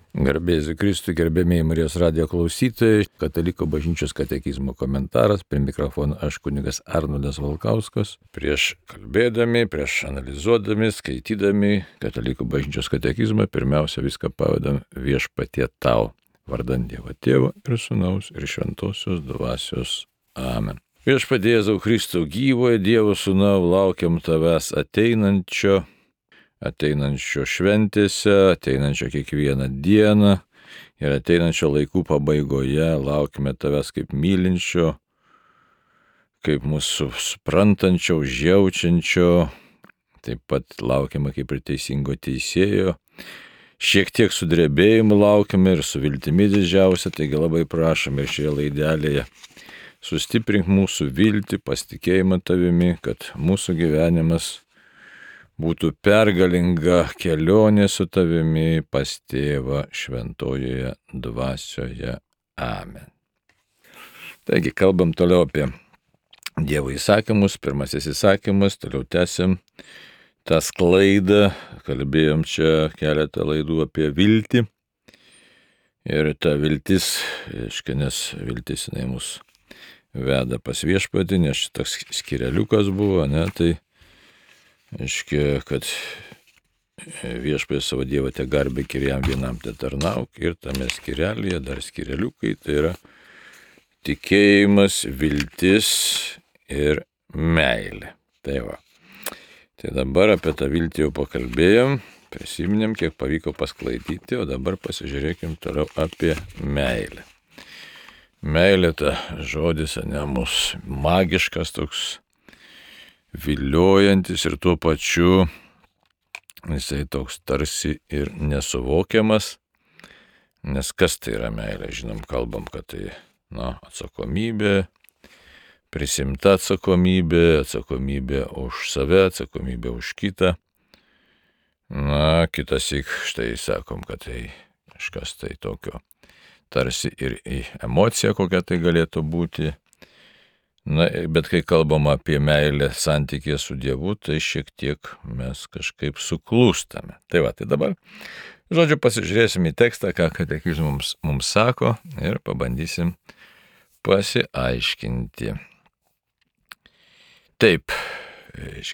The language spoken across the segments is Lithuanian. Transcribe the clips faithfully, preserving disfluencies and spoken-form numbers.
Garbėsiu Kristui, gerbėmiai Marijos radijo klausytojai, Katalikų bažnyčios katekizmo komentaras, prie mikrofono aš kunigas Arnoldas Valkauskas. Prieš kalbėdami, prieš analizuodami, skaitydami Katalikų bažnyčios katekizmą, pirmiausia viską pavedam Viešpatie tau, vardant Dievo Tėvo ir Sūnaus ir Šventosios Dvasios. Amen. Viešpatie Jėzau Kristau, gyvojo Dievo Sūnau, laukiam tavęs ateinančio. ateinančio šventėse, ateinančio kiekvieną dieną ir ateinančio laikų pabaigoje laukime tavęs kaip mylinčio, kaip mūsų suprantančio, užjaučiančio, taip pat laukiame kaip ir teisingo teisėjo. Šiek tiek su drebėjimu laukiame ir su viltimi didžiausia, taigi labai prašome ir šioje laidelėje sustiprink mūsų viltį, pasitikėjimą tavimi, kad mūsų gyvenimas būtų pergalinga kelionė su tavimi pas Tėvą šventojoje dvasioje. Amen. Taigi, kalbam toliau apie Dievo įsakymus. Pirmasis įsakymas, toliau tęsim tą sklaidą. Kalbėjom čia keletą laidų apie viltį. Ir ta viltis, aiškiai, nes viltis jinai mus veda pas Viešpatį, nes toks skireliukas buvo, ne, tai aiškia, kad Viešpatie savo Dievą te garbėk ir jam vienam te tarnauk, ir tame skirelyje dar skireliukai, tai yra tikėjimas, viltis ir meilė. Tai va. Tai dabar apie tą viltį jau pakalbėjom, prisiminėm, kiek pavyko pasklaidyti, o dabar pasižiūrėkim toliau apie meilę. Meilė, ta žodis, ne, mūsų magiškas toks, viliojantis ir tuo pačiu jisai toks tarsi ir nesuvokiamas, nes kas tai yra meilė, žinom, kalbam, kad tai, na, atsakomybė, prisimta atsakomybė, atsakomybė už save, atsakomybė už kitą. Na, kitas įk, štai sakom, kad tai kažkas tai tokio, tarsi ir emocija kokia tai galėtų būti. Na, bet kai kalbam apie meilę santykį su Dievu, tai šiek tiek mes kažkaip suklūstame. Tai va, tai dabar, žodžiu, pasižiūrėsim į tekstą, ką katekizmas mums, mums sako ir pabandysim pasiaiškinti. Taip,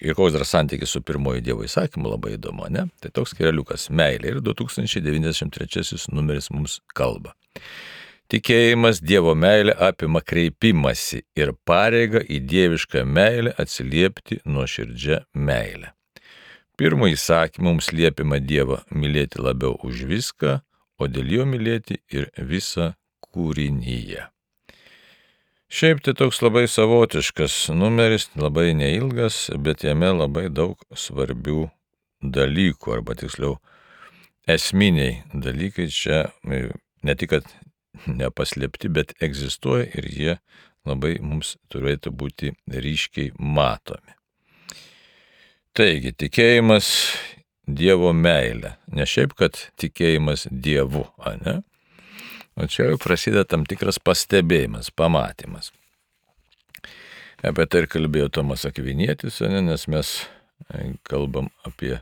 ir koks dar santykis su pirmoju Dievo įsakymu, labai įdomu, ne? Tai toks skireliukas meilė ir du tūkstančiai devyniasdešimt trečiasis numeris mums kalba. Tikėjimas Dievo meilė apima kreipimąsi ir pareigą į dievišką meilę atsiliepti nuoširdžia meilę. Pirmu įsakymu mums liepiama Dievą mylėti labiau už viską, o dėl jo mylėti ir visą kūrinyje. Šiaip tai toks labai savotiškas numeris, labai neilgas, bet jame labai daug svarbių dalykų, arba tiksliau esminiai dalykai čia ne tik, kad nepaslėpti, bet egzistuoja ir jie labai mums turėtų būti ryškiai matomi. Taigi, tikėjimas Dievo meilė. Ne šiaip, kad tikėjimas Dievu, ane? O čia jau prasideda tam tikras pastebėjimas, pamatymas. Apie tai ir kalbėjo Tomas Akvinietis, ane? Nes mes kalbam apie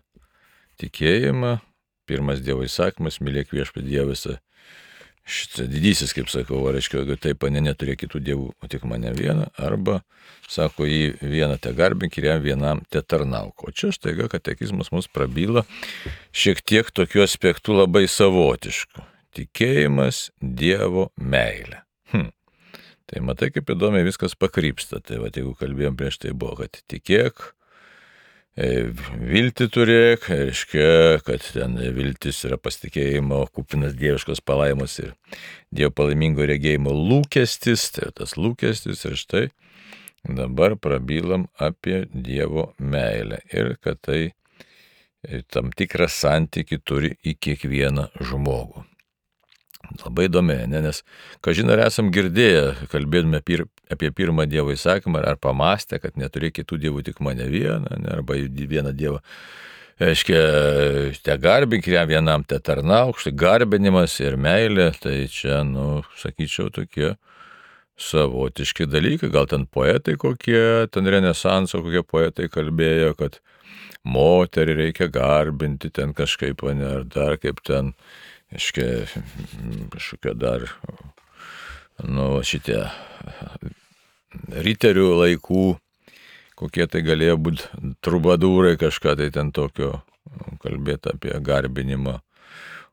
tikėjimą. Pirmas Dievo įsakymas, mylėk Viešpatį Dievą visą. Šitas didysis, kaip sakau, reiškia, jeigu taip, ne neturė kitų dievų, o tik mane vieną, arba, sako, jį vieną te garbink ir jam vienam te tarnauk. O čia štaiga katekizmas mus prabyla šiek tiek tokiu aspektu labai savotišku. Tikėjimas Dievo meilė. Hm. Tai matai, kaip įdomiai viskas pakrypsta. Tai va, jeigu kalbėjom prieš tai buvo, kad tikėk, viltį turėk, reiškia, kad ten viltis yra pasitikėjimo, kupinas dieviškos palaimos ir Dievo palaimingo regėjimo lūkestis, tai tas lūkestis ir štai dabar prabylam apie Dievo meilę ir kad tai tam tikrą santykį turi į kiekvieną žmogų. Labai įdomi, ne? Nes, kažin ar esam girdėję, kalbėdami pir, apie pirmą Dievo įsakymą, ar pamastę, kad neturėk kitų dievų, tik mane vieną, ne? Arba vieną Dievą, aiškia, te garbink ir jam vienam te tarnauk, štai garbinimas ir meilė, tai čia, nu, sakyčiau, tokie savotiški dalykai, gal ten poetai kokie, ten renesanso kokie poetai kalbėjo, kad moterį reikia garbinti ten kažkaip, ne, ar dar kaip ten, Iškia, kažkokio dar, nu, šitie riterių laikų, kokie tai galėjo būti trubadūrai, kažką tai ten tokio kalbėti apie garbinimą.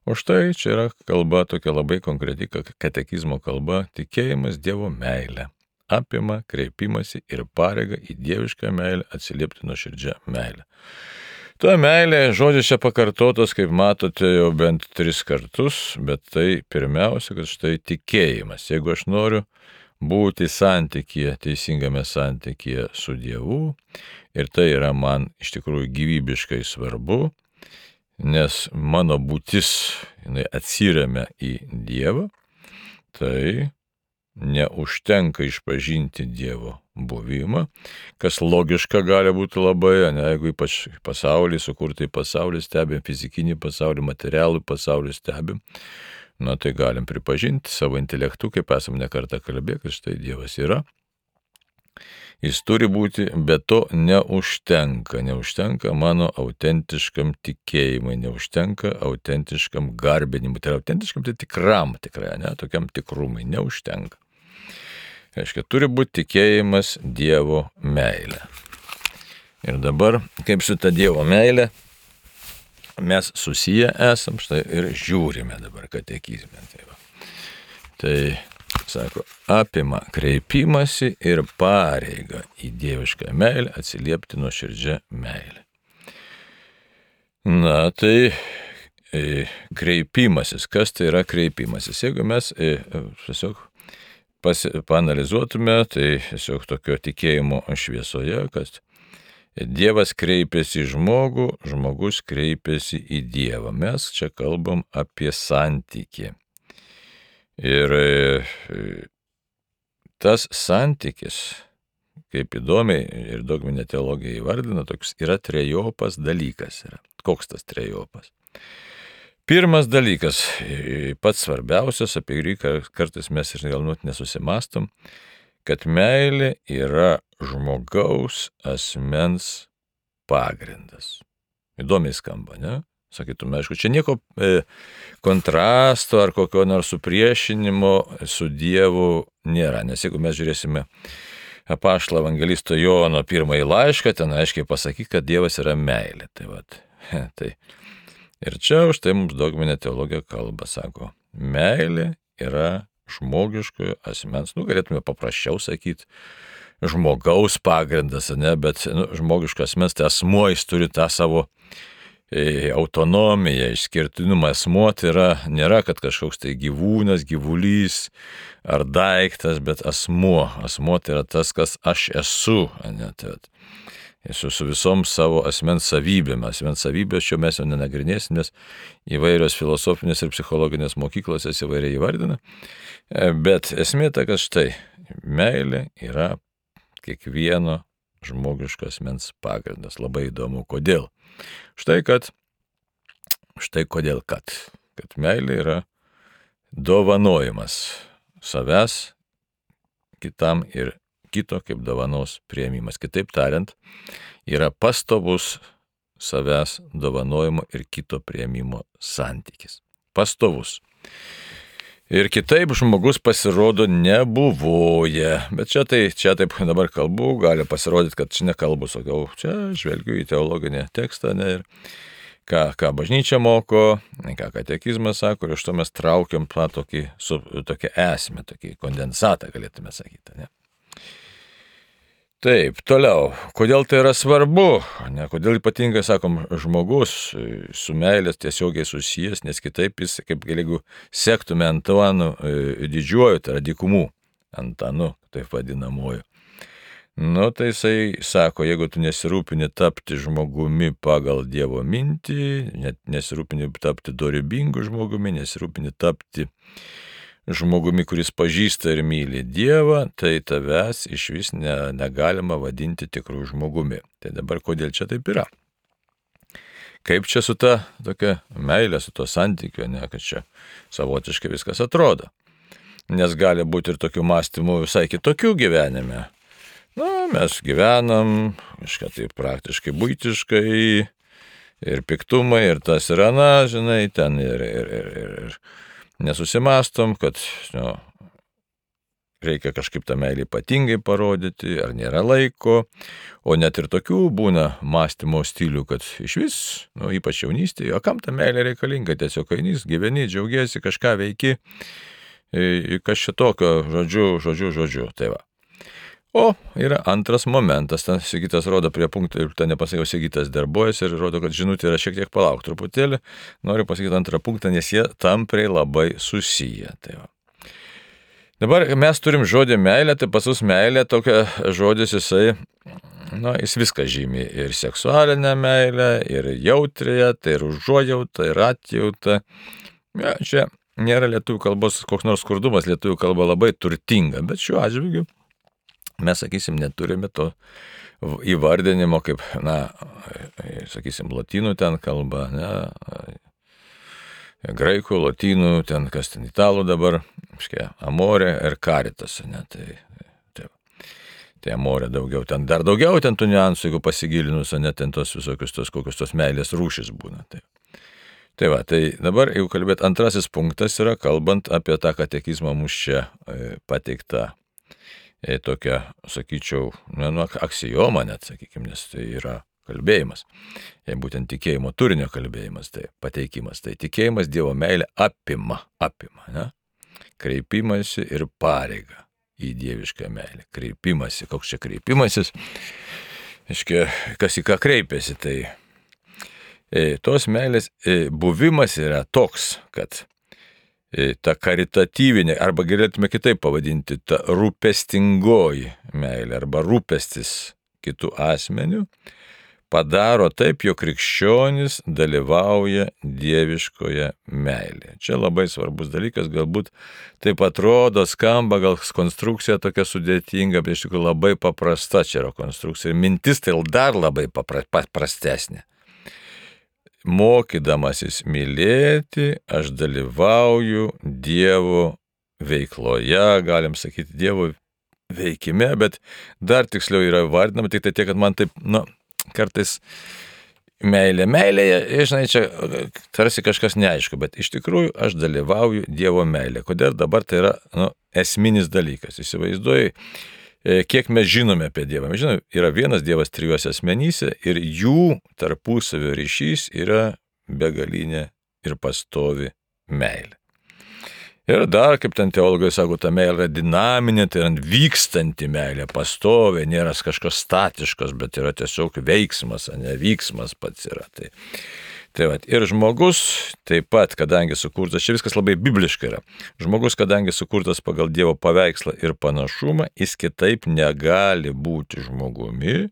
O štai čia yra kalba tokia labai konkreti, katekizmo kalba, tikėjimas Dievo meilę. Apima kreipimąsi ir pareigą į dievišką meilę atsiliepti nuoširdžią meilę. Ta meilė, žodžiai čia pakartotas, kaip matote, jau bent tris kartus, bet tai pirmiausia, kad štai tikėjimas. Jeigu aš noriu būti santykyje, teisingame santykyje su Dievu, ir tai yra man iš tikrųjų gyvybiškai svarbu, nes mano būtis jinai atsiremia į Dievą, tai neužtenka išpažinti Dievo buvimą, kas logiška gali būti labai, ne, jeigu ypač pasaulį, sukurtai pasaulį stebim, fizikinį pasaulį, materialų pasaulį stebim, na tai galim pripažinti savo intelektu, kaip esam nekartą kalbėję, kad štai Dievas yra. Jis turi būti, bet to neužtenka, neužtenka mano autentiškam tikėjimui, neužtenka autentiškam garbinimui, tai yra autentiškam, tai tikram tikrai, ne, tokiam tikrumui, neužtenka. Reiškia, turi būti tikėjimas Dievo meilė. Ir dabar, kaip su ta Dievo meilė, mes susiję esam, štai ir žiūrime dabar katekizme. Tai, va. Tai sako, apima kreipimąsi ir pareigą į dievišką meilę atsiliepti nuoširdžią meilę. Na, tai e, kreipimasis, kas tai yra kreipimasis? Jeigu mes e, tiesiog pasi, paanalizuotume, tai tiesiog tokio tikėjimo šviesoje, kad Dievas kreipiasi į žmogų, žmogus kreipiasi į Dievą. Mes čia kalbam apie santykį. Ir tas santykis, kaip įdomiai ir dogminė teologija įvardina, toks yra trejopas dalykas. Yra. Koks tas trejopas? Pirmas dalykas, pats svarbiausias, apie kurį kartais mes ir galbūt nesusimastom, kad meilė yra žmogaus asmens pagrindas. Įdomiai skamba, ne? Sakytume, aišku, čia nieko e, kontrasto ar kokio nors supriešinimo su Dievu nėra, nes jeigu mes žiūrėsime apaštalo evangelisto Jono pirmąjį laišką, ten aiškiai pasakyti, kad Dievas yra meilė. Tai vat, tai. Ir čia už tai mums dogminė teologija kalba, sako, meilė yra žmogiškojo asmens, nu galėtume paprasčiau sakyti, žmogaus pagrindas, ne, bet nu, žmogiškas asmens, tai asmuo, jis turi tą savo e, autonomiją, išskirtinumą. Asmuo tai yra, nėra, kad kažkoks tai gyvūnas, gyvulys ar daiktas, bet asmuo. Asmuo tai yra tas, kas aš esu, ne, tai vat. Esu su visom savo asmens savybėm. Asmens savybės čia mes jau nenagrinėsim, nes įvairios filosofinės ir psichologinės mokyklos jas įvairiai įvardina. Bet esmė ta, kad štai meilė yra kiekvieno žmogiško asmens pagrindas. Labai įdomu, kodėl. Štai kad, štai kodėl kad, kad meilė yra dovanojimas savęs kitam ir kito kaip dovanos priėmimas. Kitaip tariant, yra pastovus savęs dovanojimo ir kito priėmimo santykis. Pastovus. Ir kitaip žmogus pasirodo nebuvoja. Bet čia, tai, čia taip dabar kalbu, gali pasirodyti, kad čia nekalbu, sakau, čia žvelgiu į teologinį tekstą, ne, ir ką, ką bažnyčia moko, ką katekizmas sako, ir iš to mes traukiam tą tokį, su, tokią esmę, tokį kondensatą, galėtume sakyti, ne. Taip, toliau, kodėl tai yra svarbu, ne, kodėl ypatingai, sakom, žmogus su meilės tiesiogiai susijęs, nes kitaip jis, kaip jeigu sektume Antanu didžiuoju, tai yra dykumų Antanu, taip vadinamuoju. Nu, tai jisai sako, jeigu tu nesirūpini tapti žmogumi pagal Dievo mintį, net nesirūpini tapti dorybingu žmogumi, nesirūpini tapti žmogumi, kuris pažįsta ir myli Dievą, tai tavęs iš vis ne, negalima vadinti tikrų žmogumi. Tai dabar kodėl čia taip yra? Kaip čia su ta tokia meilė, su to santykiu, ne, kad čia savotiškai viskas atrodo. Nes gali būti ir tokių mąstymų visai kitokių gyvenime. Na, mes gyvenam kažką tai praktiškai buitiškai, ir piktumai, ir tas ir ana, žinai, ten ir, ir, ir, ir, ir nesusimastom, kad nu, reikia kažkaip tą meilę ypatingai parodyti, ar nėra laiko, o net ir tokių būna mąstymo stilių, kad iš vis, nu, ypač jaunystėje, o kam ta meilė reikalinga, tiesiog einys, gyveni, džiaugiesi, kažką veiki, kas šitokio, žodžiu, žodžiu, žodžiu, tai va. O yra antras momentas, ten Sigitas rodo prie punktų ir ten nepasakiau, Sigitas darbuojasi ir rodo, kad žinutė yra šiek tiek palauk truputėlį, noriu pasakyti antrą punktą, nes jie tampriai labai susiję. Tai va. Dabar mes turim žodį meilė, tai pas mus meilė tokia žodis jisai, na, jis viską žymi, ir seksualinę meilę, ir jautrėje, tai ir užuojautą, ir atjautą. Ja, čia nėra lietuvių kalbos koks nors skurdumas, lietuvių kalba labai turtinga, bet šiuo atžvilgiu mes, sakysim, neturime to įvardinimo kaip, na, sakysim, lotynų ten kalba, ne, graikų, lotynų, ten kas ten italų dabar, škia, amorė ir karitas, ne, tai, tai, tai amorė daugiau, ten dar daugiau ten tų niuansų, jeigu pasigilinus, ne, ten tos visokius tos, kokios tos meilės rūšis būna, tai. Tai va, tai dabar, jeigu kalbėt, antrasis punktas yra, kalbant apie tą katekizmą mūsų čia pateiktą, e, tokia, sakyčiau, nu, aksijoma net, sakykime, nes tai yra kalbėjimas, e, būtent tikėjimo turinio kalbėjimas, tai pateikimas, tai tikėjimas Dievo meilė apima, apima, ne? Kreipimasi ir pareiga į dievišką meilę, kreipimasi, koks čia kreipimasis, aiškiai, kas į ką kreipiasi, tai e, tos meilės e, buvimas yra toks, kad ta karitatyvinė, arba galėtume kitaip pavadinti, ta rūpestingoji meilė, arba rūpestis kitų asmenių, padaro taip, jog krikščionis dalyvauja dieviškoje meilėje. Čia labai svarbus dalykas, galbūt taip atrodo, skamba, gal konstrukcija tokia sudėtinga, bet iš tikrųjų labai paprasta čia yra konstrukcija. Ir mintis tai dar labai paprastesnė. Mokydamasis mylėti, aš dalyvauju Dievo veikloje, galim sakyti, Dievo veikime, bet dar tiksliau yra vardinama, tik tai tiek, kad man taip, nu, kartais meilė, meilėje, žinai, čia tarsi kažkas neaišku, bet iš tikrųjų aš dalyvauju Dievo meilė. Kodėl dabar tai yra, nu, esminis dalykas, įsivaizduoji, kiek mes žinome apie Dievą. Mes žinome, yra vienas Dievas trijuose asmenyse ir jų tarpusavio ryšys yra begalinė ir pastovi meilė. Ir dar, kaip ten teologai sako, ta meilė yra dinaminė, tai yra vykstanti meilė, pastovė, nėra kažkas statiškas, bet yra tiesiog veiksmas, ne vyksmas pats yra. Tai, tai va, ir žmogus taip pat, kadangi sukurtas, čia viskas labai bibliškai yra, žmogus, kadangi sukurtas pagal Dievo paveikslą ir panašumą, jis kitaip negali būti žmogumi,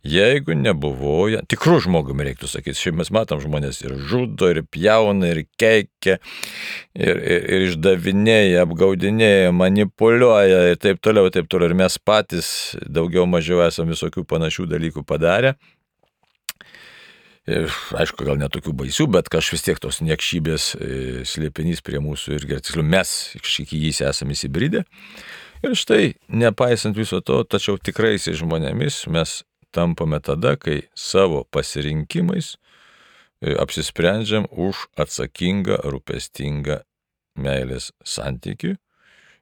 jeigu nebuvoja, tikrų žmogumi reiktų sakyti, šiaip mes matom žmonės ir žudo, ir pjauna, ir keikia, ir, ir, ir išdavinėja, apgaudinėja, manipuliuoja ir taip toliau, taip toliau, ir mes patys daugiau mažiau esame visokių panašių dalykų padarę. Ir, aišku, gal netokių baisių, bet kažkaip vis tiek tos niekšybės e, slėpinys prie mūsų irgi, tiksliau, mes kažkiek į jį esame įsibridę. Ir štai, nepaisant viso to, tačiau tikraisiais žmonėmis mes tampame tada, kai savo pasirinkimais e, apsisprendžiam už atsakingą, rūpestingą meilės santykį,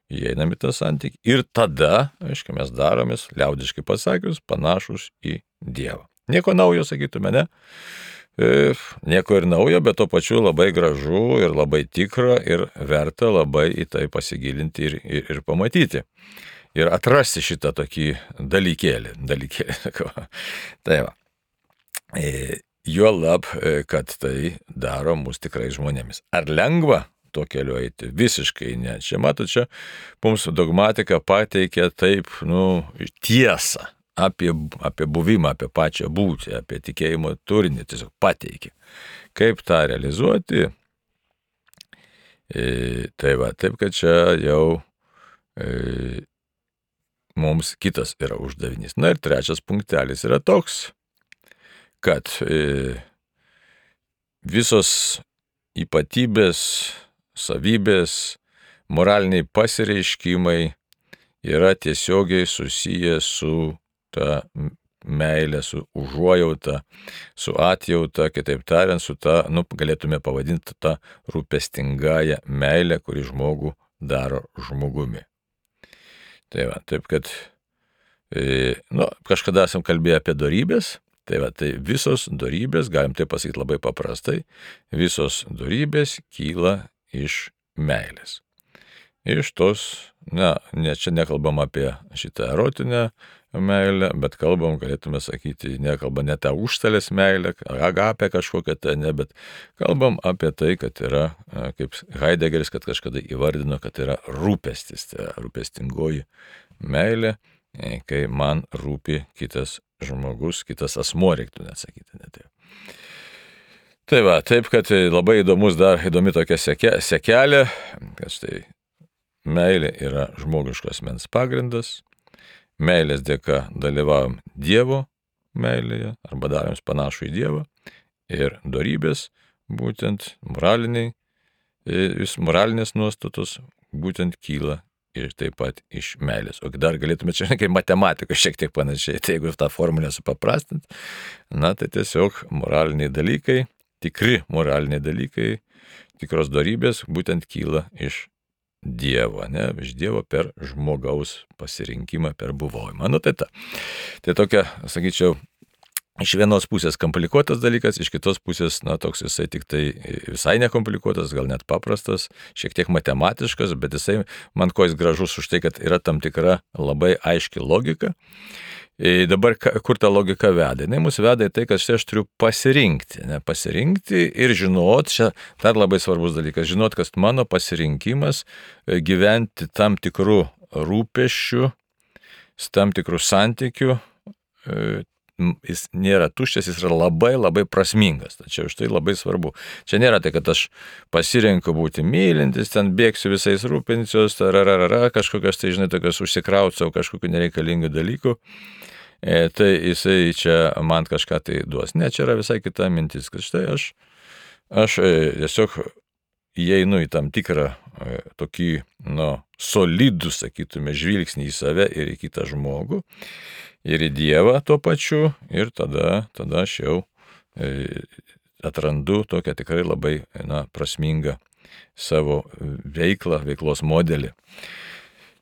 įeinam į tą santykį ir tada, aišku, mes daromės, liaudiškai pasakius, panašus į Dievą. Nieko naujo, sakytume, ne? E, nieko ir naujo, bet to pačiu labai gražu ir labai tikra ir verta labai į tai pasigilinti ir, ir, ir pamatyti. Ir atrasti šitą tokį dalykėlį. dalykėlį. Tai va. E, juolab, kad tai daro mus tikrai žmonėmis. Ar lengva tuo keliu eiti? Visiškai ne. Čia, matot, čia mums dogmatika pateikia taip, nu, tiesą. Apie, apie buvimą, apie pačią būtį, apie tikėjimo turinį, tiesiog pateikė. Kaip tą realizuoti? E, tai va, taip, kad čia jau e, mums kitas yra uždavinys. Na ir trečias punktelis yra toks, kad e, visos ypatybės, savybės, moraliniai pasireiškimai yra tiesiogiai susiję su ta meilė, su užuojauta, su atjauta, kitaip tariant, su ta, nu, galėtume pavadinti tą rūpestingąją meilę, kuri žmogų daro žmogumi. Tai va, taip kad, e, nu, kažkada esam kalbėję apie dorybės, tai va, tai visos dorybės, galim tai pasakyti labai paprastai, visos dorybės kyla iš meilės. Iš tos, ne, ne, čia nekalbam apie šitą erotinę meilę, bet kalbam, galėtume sakyti, nekalbam ne tą užstalės meilę, agapę kažkokią tai, ne, bet kalbam apie tai, kad yra, kaip Heideggeris, kad kažkada įvardino, kad yra rūpestis, tai rūpestingoji meilė, kai man rūpi kitas žmogus, kitas asmuo, reiktų net sakyti, ne taip. Tai va, taip, kad labai įdomus dar, įdomi tokia seke, sekelė, kad štai meilė yra žmogiškos asmens pagrindas, meilės dėka dalyvavom Dievo meilėje, arba darėms panašų į Dievą, ir dorybės, būtent moraliniai, vis moralinės nuostatos, būtent kyla ir taip pat iš meilės. O dar galėtume čia kaip matematika šiek tiek panašiai, tai jeigu tą formulę supaprastint, na tai tiesiog moraliniai dalykai, tikri moraliniai dalykai, tikros dorybės būtent kyla iš Dievo, ne, iš Dievo per žmogaus pasirinkimą, per buvojimą. Nu tai ta. Tai tokia, sakyčiau, iš vienos pusės komplikuotas dalykas, iš kitos pusės, na, toks jisai tik tai visai nekomplikuotas, gal net paprastas, šiek tiek matematiškas, bet jisai, man ko jis gražus už tai, kad yra tam tikra labai aiški logika. Ir dabar kur ta logika veda? Jis mus veda į tai, kad štai aš turiu pasirinkti, ne, pasirinkti ir žinot, čia dar labai svarbus dalykas, žinot, kad mano pasirinkimas gyventi tam tikrų rūpesčių, tam tikrų santykių, jis nėra tuščias, jis yra labai labai prasmingas. Tačiau už tai labai svarbu. Čia nėra tai, kad aš pasirenku būti mylintis, ten bėgsiu visais rūpinsios, tararara, kažkokios tai, žinai, tokios užsikrausiu kažkokių nereikalingų dalykų. E, tai jisai čia man kažką tai duos. Ne, čia yra visai kita mintis, kad štai aš, aš e, tiesiog įeinu į tam tikrą e, tokį, nu, solidų, sakytume, žvilgsnį į save ir į kitą žmogų, ir į Dievą tuo pačiu, ir tada, tada aš jau e, atrandu tokią tikrai labai, na, prasmingą savo veiklą, veiklos modelį.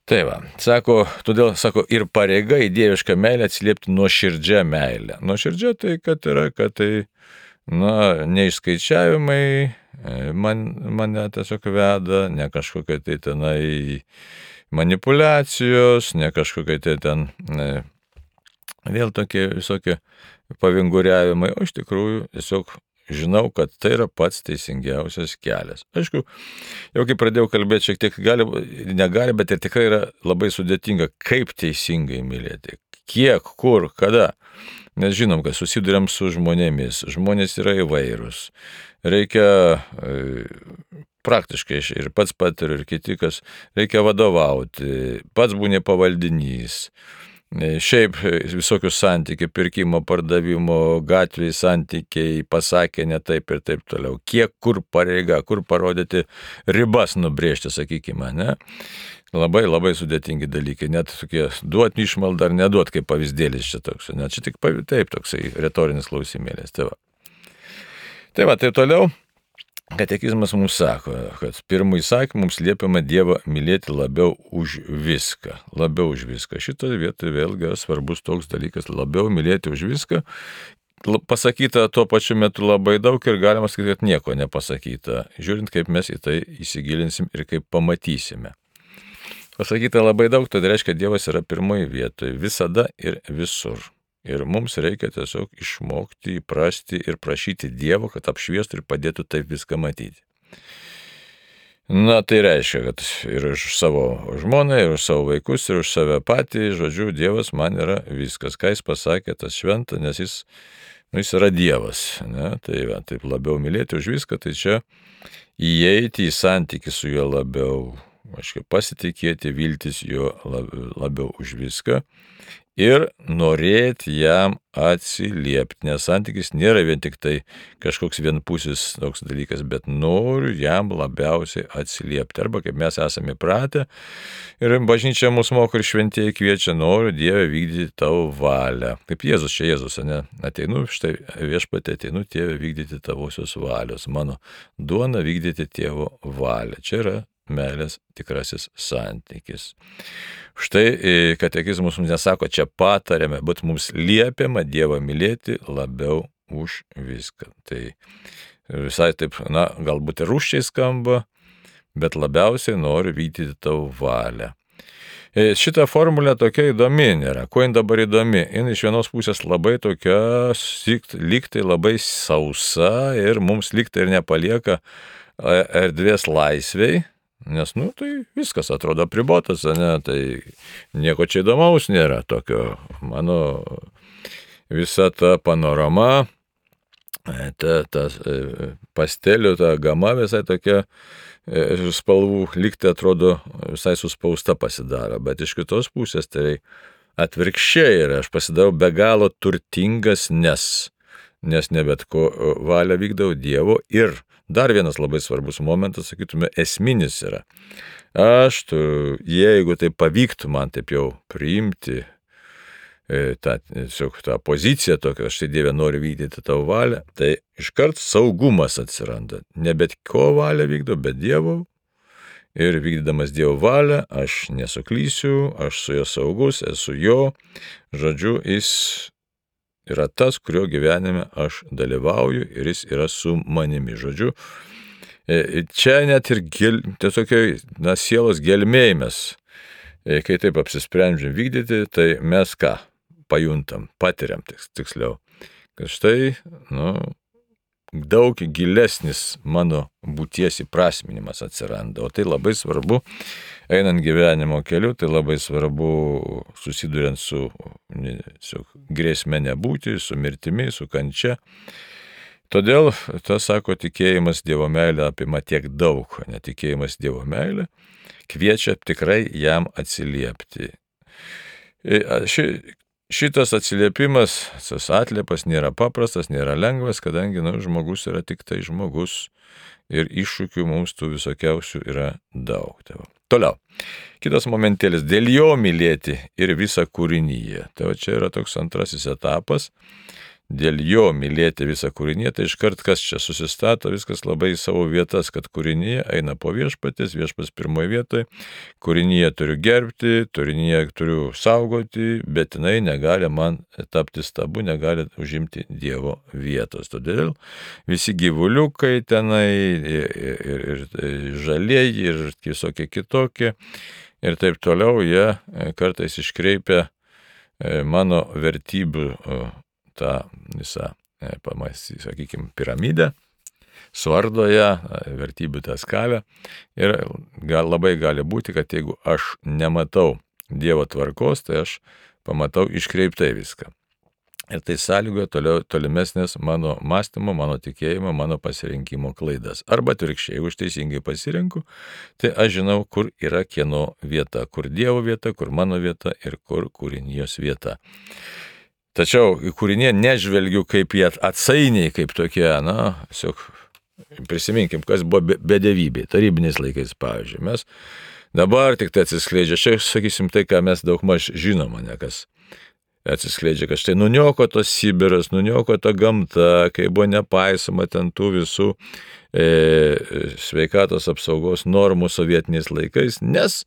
Tai va, sako, todėl, sako, ir pareiga į dievišką meilę atsiliepti nuoširdžią meilę. Nuoširdžia tai, kad yra, kad tai, na, neišskaičiavimai man, mane tiesiog veda, ne kažkokie tai tenai manipulacijos, ne kažkokie tai ten, ne, vėl tokie visokie pavinguriavimai, o iš tikrųjų tiesiog žinau, kad tai yra pats teisingiausias kelias. Aišku, jau kai pradėjau kalbėti, šiek tiek gali, negali, bet ir tikrai yra labai sudėtinga, kaip teisingai mylėti, kiek, kur, kada. Nes žinom, kad susiduriam su žmonėmis, žmonės yra įvairūs. Reikia e, praktiškai ir pats patiriu, ir kiti, kas reikia vadovauti, pats būni pavaldinys. Šiaip visokius santykiai, pirkimo, pardavimo, gatvėje santykiai, pasakė ne taip ir taip toliau. Kiek, kur pareiga, kur parodyti ribas nubrėžti, sakykime, ne? Labai, labai sudėtingi dalykai. Net tokie duot išmaldą ar neduot, kaip pavyzdėlis čia toks. Net čia tik taip toksai retorinis klausimėlis. Tai va. Tai va, tai toliau. Katekizmas mums sako, kad pirmąjį įsakymą mums liepiama Dievą mylėti labiau už viską. Labiau už viską. Šitoje vietoje vėlgi svarbus toks dalykas, labiau mylėti už viską. Pasakyta tuo pačiu metu labai daug ir galima sakyti, kad nieko nepasakyta. Žiūrint, kaip mes į tai įsigilinsim ir kaip pamatysime. Pasakyta labai daug, tai reiškia, Dievas yra pirmoji vietoje, visada ir visur. Ir mums reikia tiesiog išmokti, įprasti ir prašyti Dievo, kad apšviestų ir padėtų taip viską matyti. Na, tai reiškia, kad ir už savo žmoną, ir už savo vaikus, ir už save patį, žodžiu, Dievas man yra viskas, ką jis pasakė, tas šventa, nes jis, nu, jis yra Dievas. Ne? Tai va, taip labiau mylėti už viską, tai čia įeiti į santykį su juo labiau, aiškiai, pasitikėti, viltis jo labiau už viską ir norėti jam atsiliepti, nes santykis nėra vien tik tai kažkoks vienpusis toks dalykas, bet noriu jam labiausiai atsiliepti. Arba kaip mes esame įpratę ir bažnyčia mūsų moko ir šventieji kviečia, noriu Dieve vykdyti tavo valią. Kaip Jėzus, čia Jėzus, ne? Ateinu, štai viešpatie ateinu, Tėve vykdyti tavosios valios, mano duona vykdyti tėvo valią. Čia yra meilės tikrasis santykis. Štai katekizmas mums nesako, čia patariame, bet mums liepiama Dievą mylėti labiau už viską. Tai visai taip, na, galbūt ir rūsčiai skamba, bet labiausiai noriu vykdyti tavo valią. Šita formulė tokia įdomi nėra. Kuo jin dabar įdomi? Jin iš vienos pusės labai tokia, lygtai labai sausa ir mums lygtai ir nepalieka erdvės laisvei. Nes, nu, tai viskas atrodo apribotas, ne, tai nieko čia įdomaus nėra tokio. Mano visa ta panorama, ta, ta pastelių, ta gama visai tokia spalvų lygtai atrodo visai suspausta pasidaro, bet iš kitos pusės tai atvirkščiai yra, aš pasidarau be galo turtingas, nes, nes ne bet ko valią vykdau Dievo ir dar vienas labai svarbus momentas, sakytume, esminis yra. Aš, tu, jeigu tai pavyktų man taip jau priimti e, tą, tiesiog, tą poziciją tokią, aš tai Dieve noriu vykdyti tavo valią, tai iškart saugumas atsiranda. Ne bet ko valią vykdau, bet Dievo. Ir vykdydamas Dievo valią, aš nesuklysiu, aš su jo saugus, esu jo. Žodžiu, jis yra tas, kurio gyvenime aš dalyvauju ir jis yra su manimi. Žodžiu, čia net ir gel, tokioj, na, sielos gelmėj mes, kai taip apsisprendžiam vykdyti, tai mes ką pajuntam, patiriam tiksliau, kad štai, nu, daug gilesnis mano būties įprasminimas atsiranda, o tai labai svarbu, einant gyvenimo keliu, tai labai svarbu susiduriant su, su grėsme nebūti, su mirtimi, su kančia. Todėl, tas sako, tikėjimas Dievo meilė apima tiek daug, netikėjimas Dievo meilė kviečia tikrai jam atsiliepti. Ši, Šitas atsiliepimas, tas atliepas nėra paprastas, nėra lengvas, kadangi, nu, žmogus yra tik tai žmogus ir iššūkių mums tų visokiausių yra daug. Toliau, kitas momentėlis, dėl jo mylėti ir visą kūrinyje. Tai va čia yra toks antrasis etapas, dėl jo mylėti visą kūrinyje, tai iškart kas čia susistato, viskas labai į savo vietas, kad kūrinyje eina po viešpatės, viešpats pirmoje vietoje, kūrinyje turiu gerbti, kūrinyje turiu saugoti, bet jinai negali man tapti stabu, negali užimti Dievo vietos. Todėl visi gyvuliukai tenai, ir, ir, ir žalieji, ir visokie kitokie, ir taip toliau, jie kartais iškreipia mano vertybių tą visą, sakykime, piramidę, suardo ją, vertybių tą skalę ir gal, labai gali būti, kad jeigu aš nematau Dievo tvarkos, tai aš pamatau iškreiptai viską. Ir tai sąlygoja toliau, tolimesnės mano mąstymo, mano tikėjimo, mano pasirinkimo klaidas. Arba atvirkščiai, jeigu aš teisingai pasirinku, tai aš žinau, kur yra kieno vieta, kur Dievo vieta, kur mano vieta ir kur kūrinijos vieta. Tačiau į kūrinį nežvelgiu kaip jie atsainiai, kaip tokie, na, tiesiog prisiminkim, kas buvo bedevybė, tarybiniais laikais, pavyzdžiui. Mes dabar tik tai atsiskleidžia, čia, sakysim, tai, ką mes daug maž žinom, ne, kas atsiskleidžia, kad štai nuniokotas Sibiras, nuniokota gamta, kai buvo nepaisoma ten tų visų e, sveikatos apsaugos normų sovietiniais laikais, nes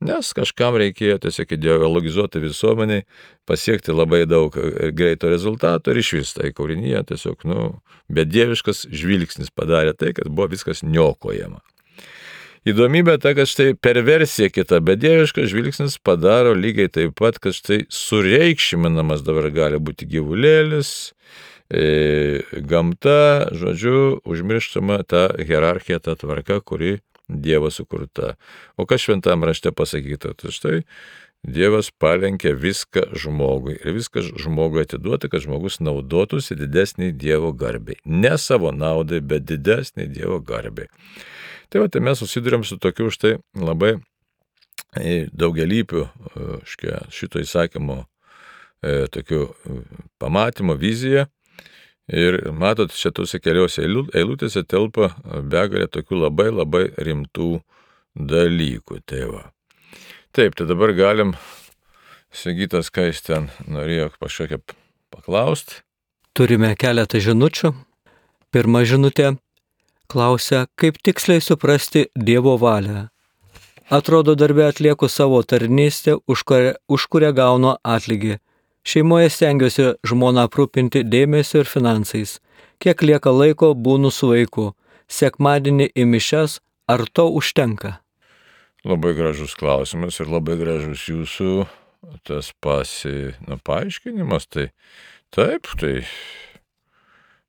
Nes kažkam reikėjo tiesiog ideologizuoti visuomeniai, pasiekti labai daug greito rezultato ir iš vis tai kūrinyje tiesiog, nu, bedieviškas žvilgsnis padarė tai, kad buvo viskas niokojama. Įdomybė ta, kad štai perversija kita, bedieviškas žvilgsnis padaro lygiai taip pat, kad štai sureikšminamas dabar gali būti gyvulėlis, e, gamta, žodžiu, užmirštama ta hierarchija, ta tvarka, kuri Dievo sukurta. O kas šventam rašte pasakyta? Tai štai Dievas palenkia viską žmogui ir viską žmogui atiduota, kad žmogus naudotųsi didesniai Dievo garbei. Ne savo naudai, bet didesniai Dievo garbei. Tai va, tai mes susidurėm su tokiu štai labai daugelypių šito įsakymo tokiu pamatymo, vizija. Ir matot, šitose keliose eilutėse telpa begalė tokių labai labai rimtų dalykų. Tai va. Taip, tai dabar galim, Sigitas, ką jis ten norėjo kažkokią paklausti. Turime keletą žinučių. Pirma žinutė klausia, kaip tiksliai suprasti Dievo valią. Atrodo, darbe atlieku savo tarnystę, už kurią, už kurią gaunu atlygį. Šeimoje stengiuosi žmoną aprūpinti dėmesio ir finansais. Kiek lieka laiko, būnu su vaiku. Sekmadienį į mišias, ar to užtenka? Labai gražus klausimas ir labai gražus jūsų tas pasi, nu, paaiškinimas. Tai taip, tai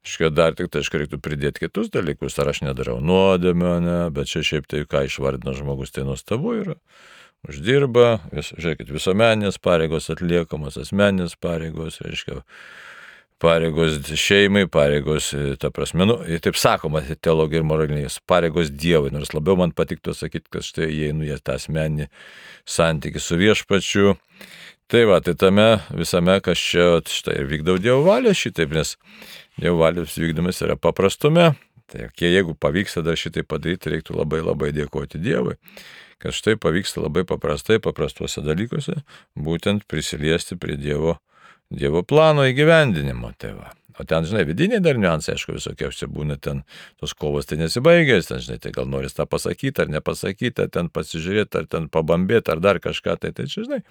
iškia dar tik tai reiktų pridėti kitus dalykus. Ar aš nedarau nuodėmio, ne, bet čia šiaip tai, ką išvardino žmogus, tai nuostabu yra. Uždirba, vis, žiūrėkit, visuomeninės pareigos atliekamos, asmeninės pareigos, reiškia, pareigos šeimai, pareigos, ta prasme, nu, taip sakoma, teologija ir moralinės, pareigos Dievui, nors labiau man patiktų sakyti, kad štai įeinu į tą asmeninį santykį su viešpačiu. Tai va, tai tame visame, kas čia, štai, vykdau Dievo valią šitaip, nes Dievo valios vykdomis yra paprastume, tai jeigu pavyksta dar šitai padaryti, reiktų labai labai dėkoti Dievui, kad štai pavyksta labai paprastai, paprastuose dalykuose, būtent prisiliesti prie Dievo, Dievo plano įgyvendinimo. Tai va. O ten, žinai, vidiniai dar niuansai, aišku, visokiausia būna ten, tos kovos tai nesibaigės, ten, žinai, tai gal noris tą pasakyti ar nepasakyti, ar ten pasižiūrėti, ar ten pabambėti, ar dar kažką, tai tai čia, žinai.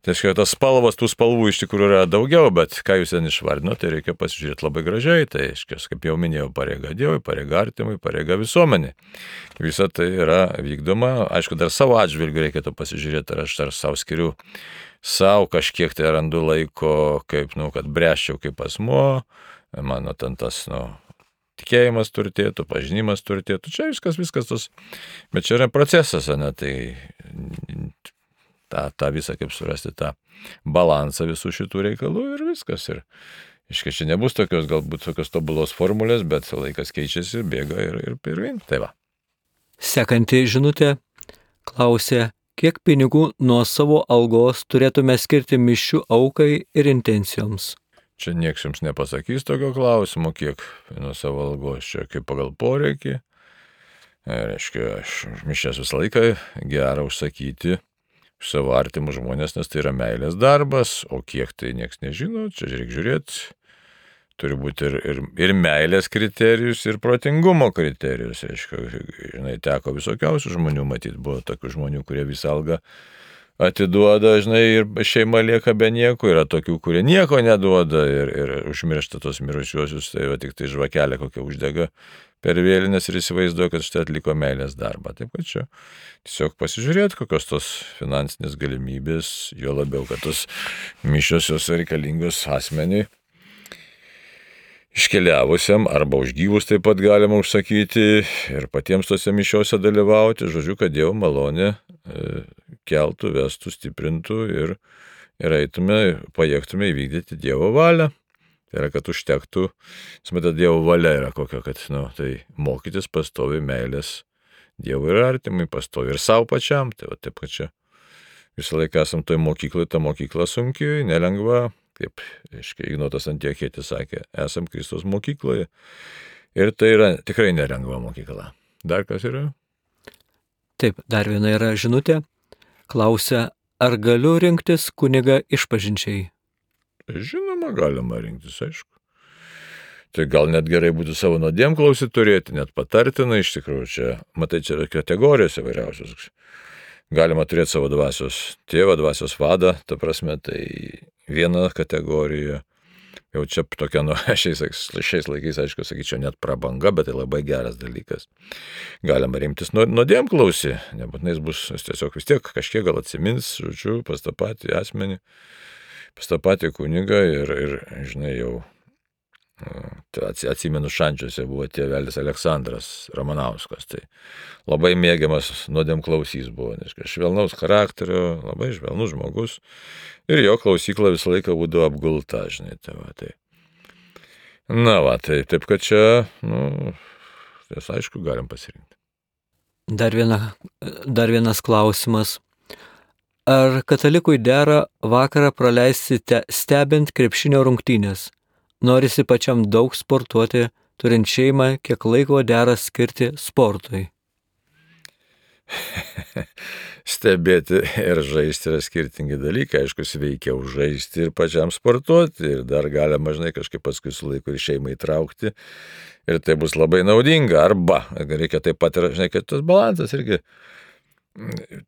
Tai aišku, tas spalvos, tų spalvų iš tikrųjų yra daugiau, bet ką jūs ten išvardino, tai reikia pasižiūrėti labai gražiai. Tai, aišku, kaip jau minėjau, pareiga Dievui, pareiga artimui, pareiga visuomenė. Visa tai yra vykdoma. Aišku, dar savo atžvilgiu reikėtų pasižiūrėti, ar aš dar savo skiriu, savo kažkiek tai randu laiko, kaip, nu, kad bręščiau kaip asmuo, mano ten tas, nu, tikėjimas turtėtų, pažinimas turtėtų. Čia viskas, viskas tos, bet čia yra procesas, ne, tai tą, tą visą, kaip surasti tą balansą visų šitų reikalų ir viskas. Ir iškai čia nebus tokios, galbūt tokios tobulos formulės, bet laikas keičiasi, bėga ir, ir pirmin. Tai va. Sekanti žinutė klausė, kiek pinigų nuo savo algos turėtume skirti mišių aukai ir intencijoms. Čia nieks jums nepasakys tokio klausimo, kiek nuo savo algos, čia kaip pagal poreikį. Reiškia, aš mišias visą laiką gerą užsakyti savo artimus žmonės, nes tai yra meilės darbas, o kiek tai nieks nežino, čia reikia žiūrėti, turi būti ir, ir, ir meilės kriterijus, ir protingumo kriterijus, reiškia, žinai, teko visokiausių žmonių matyti, buvo tokių žmonių, kurie visą algą atiduoda, žinai, ir šeima lieka be nieko, yra tokių, kurie nieko neduoda ir, ir užmiršta tos mirusiuosius, tai va tik tai žvakelė kokia uždega per vėlines ir įsivaizduoja, kad štai atliko meilės darbą. Taip kad čia tiesiog pasižiūrėti, kokios tos finansinės galimybės, jo labiau, kad tos mišios jos reikalingos asmeniui iškeliavusiam arba už gyvus taip pat galima užsakyti ir patiems tose mišiose dalyvauti. Žodžiu, kad Dievo malonė e, keltų, vestų, stiprintų ir, ir eitume, pajėgtume įvykdyti Dievo valią. Tai yra, kad užtektų, smeta Dievo valia yra kokia, kad, nu, tai mokytis pastovi meilės Dievui ir artimui, pastovi ir savo pačiam. Tai va, taip, kad čia visą laiką esam toj mokyklai, ta mokykla sunkiai, nelengva, kaip, aiškiai, Ignotas Antiochietis sakė, esam Kristaus mokykloje. Ir tai yra tikrai nelengva mokykla. Dar kas yra? Taip, dar viena yra žinutė. Klausia, ar galiu rinktis kunigą išpažinčiai? Žinoma, galima rinktis, aišku. Tai gal net gerai būtų savo nuodėmklausį turėti, net patartina, iš tikrųjų, čia, matai, čia yra kategorijos įvairiausios. Galima turėti savo dvasios tėvą, dvasios vadą, ta prasme, tai viena kategorija. Jau čia tokia, nu, šiais, šiais laikais, aišku, sakyčiau, net prabanga, bet tai labai geras dalykas. Galima rimtis nuodėmklausį, nebūtinai jis bus, jis tiesiog vis tiek kažkiek gal atsimins, žodžiu, pas tą patį asmenį, pas tą patį kunigą ir, ir, žinai, jau Atsimenu, Šančiuose buvo tėvelis Aleksandras Ramanauskas, tai labai mėgiamas nuodėmklausys buvo, nes švelnaus charakterio, labai švelnus žmogus ir jo klausykla visą laiką būdavo apgulta, žinai, tai va, tai. Na va, tai taip, kad čia, nu, tai aišku, galim pasirinkti. Dar, viena, dar vienas klausimas. Ar katalikui dera vakarą praleisti stebint krepšinio rungtynės? Norisi pačiam daug sportuoti, turint šeimą, kiek laiko dera skirti sportui? Stebėti ir žaisti yra skirtingi dalykai, aišku, sveikiau žaisti ir pačiam sportuoti, ir dar galima, žinai, kažkaip paskui su laiku ir šeimą įtraukti, ir tai bus labai naudinga, arba reikia taip pat ir, žinai, kad tas balansas irgi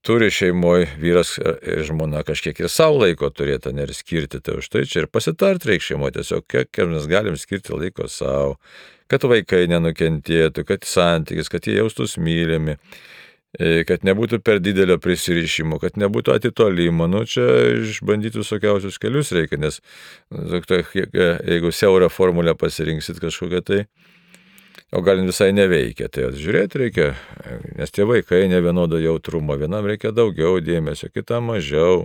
turi šeimoje vyras ir žmona kažkiek ir savo laiko turėti, ne ir skirti, tai už tai čia ir pasitart reikia šeimoje, tiesiog kiek mes galim skirti laiko savo, kad vaikai nenukentėtų, kad santykis, kad jie jaustus mylimi, kad nebūtų per didelio prisirišimo, kad nebūtų atitolimo, nu čia išbandyti visokiausius kelius reikia, nes jeigu siaurą formulę pasirinksit kažkokią tai, o gal visai neveikia, tai žiūrėti reikia, nes tie vaikai ne vienodo jautrumo, vienam reikia daugiau dėmesio, kitam mažiau,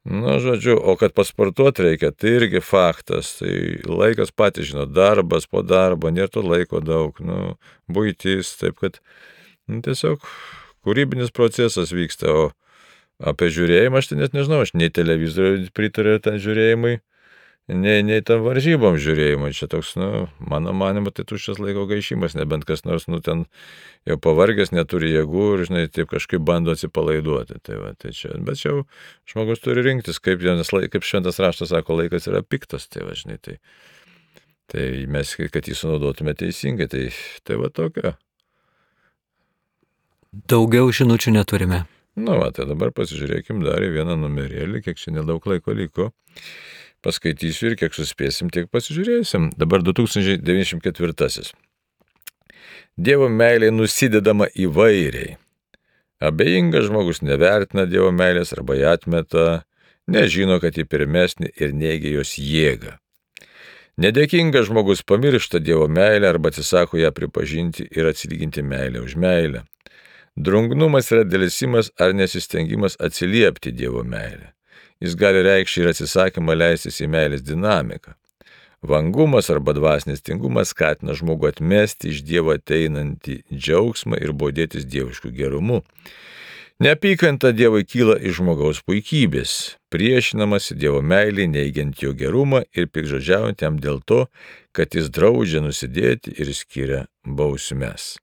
nu žodžiu, o kad pasportuoti reikia, tai irgi faktas, tai laikas patys žino, darbas po darbo, nėra to laiko daug, nu buitis, taip kad nu, tiesiog kūrybinis procesas vyksta, o apie žiūrėjimą aš tai net nežinau, aš nei televizorių pritariu ten žiūrėjimui, nei, nei tam varžybom žiūrėjimui, čia toks, nu, mano manimo, tai tuščias laiko gaišimas, nebent kas nors, nu, ten jau pavargęs, neturi jėgų ir, žinai, taip kažkaip bando atsipalaiduoti, tai va, tai čia, bet čia jau žmogus turi rinktis, kaip, kaip šventas raštas sako, laikas yra piktas, tai va, žinai, tai, tai mes, kad jį sunaudotume teisingai, tai, tai va tokia. Daugiau žinučių neturime. Nu, va, tai dabar pasižiūrėkim dar į vieną numerėlį, kiek čia nedaug laiko liko. Paskaitysiu ir kiek suspėsim, tiek pasižiūrėsim. Dabar du tūkstančiai devyniasdešimt ketvirtasis. Dievo meilė nusidedama įvairiai. Abejingas žmogus nevertina Dievo meilės arba ją atmeta, nežino, kad ji pirmesnė ir neigia jos jėgą. Nedėkingas žmogus pamiršta Dievo meilę arba atsisako ją pripažinti ir atsilyginti meilę už meilę. Drungnumas yra dėlsimas ar nesistengimas atsiliepti Dievo meilę. Jis gali reikšti ir atsisakymą leistis į meilės dinamiką. Vangumas arba dvasinis tingumas skatina žmogų atmesti iš Dievo ateinantį džiaugsmą ir bodėtis dieviškų gerumu. Neapykanta Dievui kyla iš žmogaus puikybės, priešinamasi Dievo meilį, neigiant jo gerumą ir piktžodžiaujant jam dėl to, kad jis draudžia nusidėti ir skiria bausmes.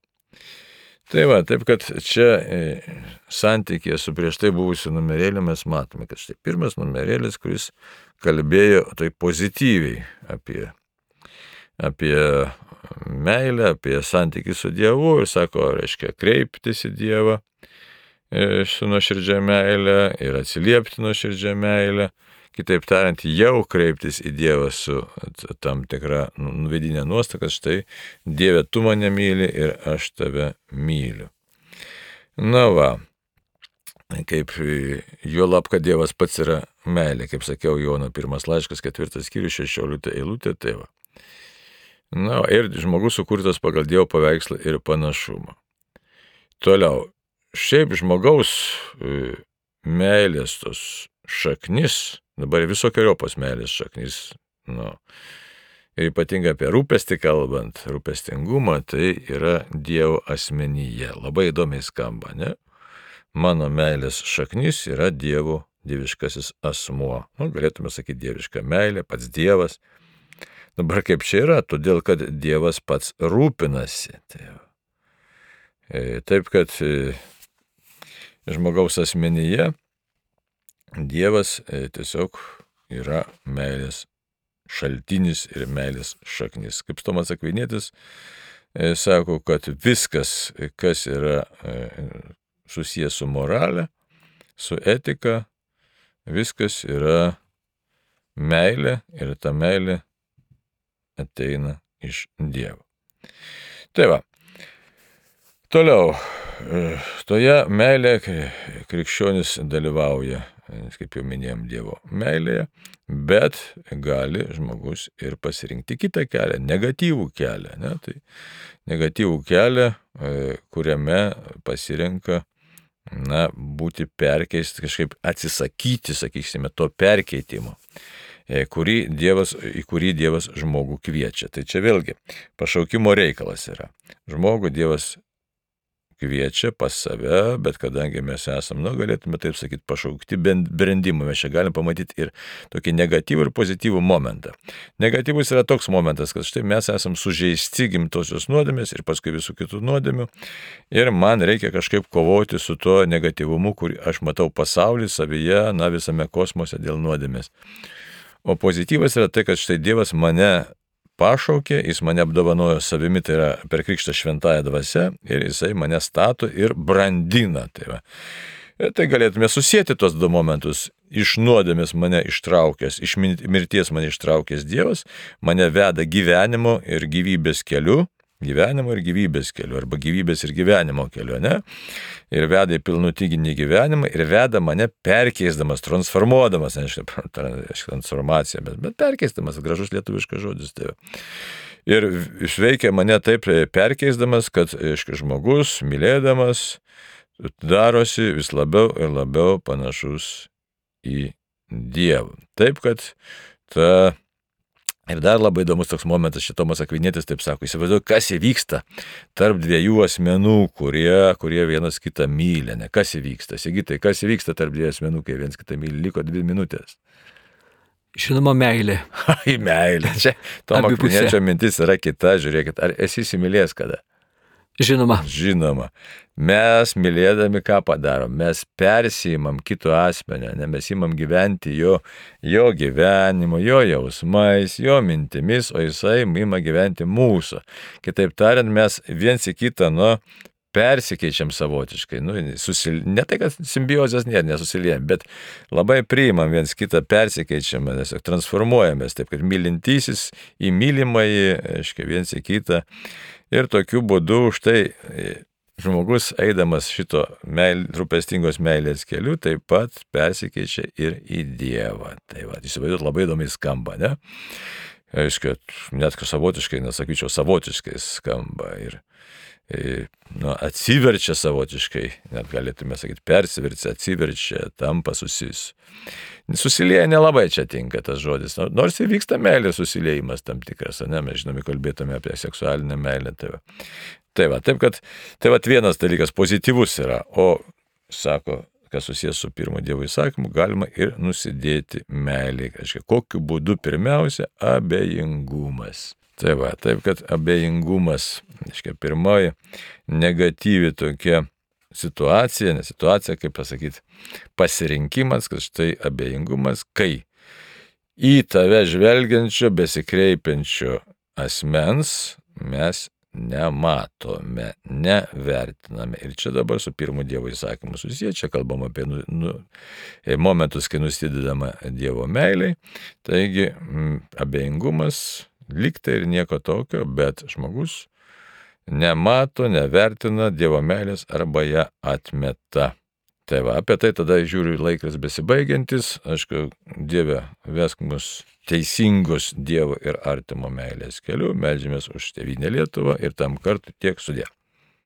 Tai va, taip kad čia e, santykėje su prieš tai buvusiu numerėliu mes matome, kad štai pirmas numerėlis, kuris kalbėjo tai pozityviai apie, apie meilę, apie santykį su Dievu ir sako, reiškia, kreiptis į Dievą e, su nuoširdžia meilė ir atsiliepti nuoširdžia meilė. Kitaip tariant, jau kreiptis į Dievą su tam tikra vidinė nuostata, kad štai Dieve, tu mane myli ir aš tave myliu. Na va, kaip juolab, kad Dievas pats yra meilė, kaip sakiau, Jono pirmas laiškas, ketvirtas skyrius, šešiolikta eilutė, tai va. Na, ir žmogus sukurtas pagal Dievo paveikslą ir panašumą. Toliau, šiaip žmogaus meilės tos šaknis, dabar visokiojopos meilės šaknis, nu, ir ypatingai apie rūpestį kalbant, rūpestingumą, tai yra Dievo asmenyje. Labai įdomiai skamba, ne? Mano meilės šaknis yra Dievo dieviškasis asmuo. Nu, galėtume sakyti dieviška meilė, pats Dievas. Dabar kaip čia yra? Todėl, kad Dievas pats rūpinasi. Taip, kad žmogaus asmenyje Dievas tiesiog yra meilės šaltinis ir meilės šaknis. Kaip Tomas Akvinietis sako, kad viskas, kas yra susijęs su morale, su etika, viskas yra meilė ir ta meilė ateina iš Dievo. Tai va, toliau, toje meilė krikščionis dalyvauja kaip jau minėjom, Dievo meilėje, bet gali žmogus ir pasirinkti kitą kelią, negatyvų kelią. Ne? Tai negatyvų kelią, kuriame pasirenka na, būti perkeisti, kažkaip atsisakyti, sakysime, to perkeitimo, kurį Dievas, į kurį Dievas žmogų kviečia. Tai čia vėlgi pašaukimo reikalas yra. Žmogų Dievas kviečia pas save, bet kadangi mes esam, nu, galėtume taip sakyti, pašaukti brendimą, mes čia galim pamatyti ir tokį negatyvų ir pozityvų momentą. Negatyvus yra toks momentas, kad štai mes esam sužeisti gimtosios nuodėmės ir paskui visų kitų nuodėmių ir man reikia kažkaip kovoti su tuo negatyvumu, kurį aš matau pasaulį, savyje, na, visame kosmose dėl nuodėmės. O pozityvas yra tai, kad štai Dievas mane pašaukė, jis mane apdovanojo savimi, tai yra per krikštą šventąją dvasią ir jisai mane stato ir brandina. Tai, va. Ir tai galėtume susėti tos du momentus. Iš nuodėmės mane ištraukęs, iš mirties mane ištraukęs Dievas, mane veda gyvenimo ir gyvybės keliu, gyvenimo ir gyvybės keliu, arba gyvybės ir gyvenimo keliu, ne? Ir veda į pilnutinį gyvenimą ir veda mane perkeisdamas, transformuodamas, nežinau, transformacija, bet, bet perkeisdamas, gražus lietuviškas žodis. Tai. Ir išveikia mane taip perkeisdamas, kad aiškia, žmogus, mylėdamas, darosi vis labiau ir labiau panašus į Dievą. Taip, kad ta ir dar labai įdomus toks momentas, šitomas Akvinietis taip sako, įsivaizduoju, kas įvyksta tarp dviejų asmenų, kurie, kurie vienas kitą myli, ne? Kas įvyksta? Sigitai, kas įvyksta tarp dviejų asmenų, kai vienas kitą myli? Liko dvi minutės. Žinoma, meilė. Ai, meilė. Čia Tomo Akviniečio mintis yra kita, žiūrėkit, ar esi įsimylėjęs kada? Žinoma. Žinoma. Mes mylėdami ką padarom? Mes persijimam kito asmenio, ne mes imam gyventi jo, jo gyvenimu, jo jausmais, jo mintimis, o jisai ima gyventi mūsų. Kitaip tariant, mes viens į kitą, nu, persikeičiam savotiškai. Nu, susil... Ne tai, kad simbiozės nėra, nesusiliejam, bet labai priimam viens kitą, persikeičiam, transformuojamės, taip kad mylintysis į mylimąjį, aiškiai, viens į kitą. Ir tokiu būdu štai žmogus, eidamas šito meil, rūpestingos meilės keliu, taip pat persikeičia ir į Dievą. Tai va, įsivaizduot, labai įdomiai skamba, ne? Aišku, net savotiškai, nesakyčiau, savotiškai skamba ir, ir nu, atsiverčia savotiškai, net galėtume sakyti, persiverčia, atsiverčia, tampa susis. Susilieja nelabai čia tinka tas žodis, nors įvyksta meilės susiliejimas tam tikras, ne, mes žinome, kalbėtume apie seksualinę meilę. Tai va, tai va, taip kad, tai va vienas dalykas pozityvus yra, o, sako, kas susijęs su pirmo Dievo įsakymu, galima ir nusidėti meilį. Kažkai, kokiu būdu pirmiausia, abejingumas. Tai va, taip kad abejingumas, kažkai, pirmoji negatyvi tokia situacija, ne situacija, kaip pasakyti, pasirinkimas, kad štai abejingumas, kai į tave žvelgiančio, besikreipiančio asmens mes nematome, nevertiname. Ir čia dabar su pirmu Dievo įsakymu susiję, čia kalbam apie nu, nu, momentus, kai nusidedama Dievo meiliai. Taigi m, abejingumas liktai ir nieko tokio, bet žmogus nemato, nevertina Dievo meilės arba ją atmeta. Tai va, apie tai tada žiūriu laikas besibaigiantis. Aišku, Dieve, vesk mus teisingos Dievo ir artimo meilės keliu. Meldžiamės už Tėvynę Lietuvą ir tam kartu tiek sudie.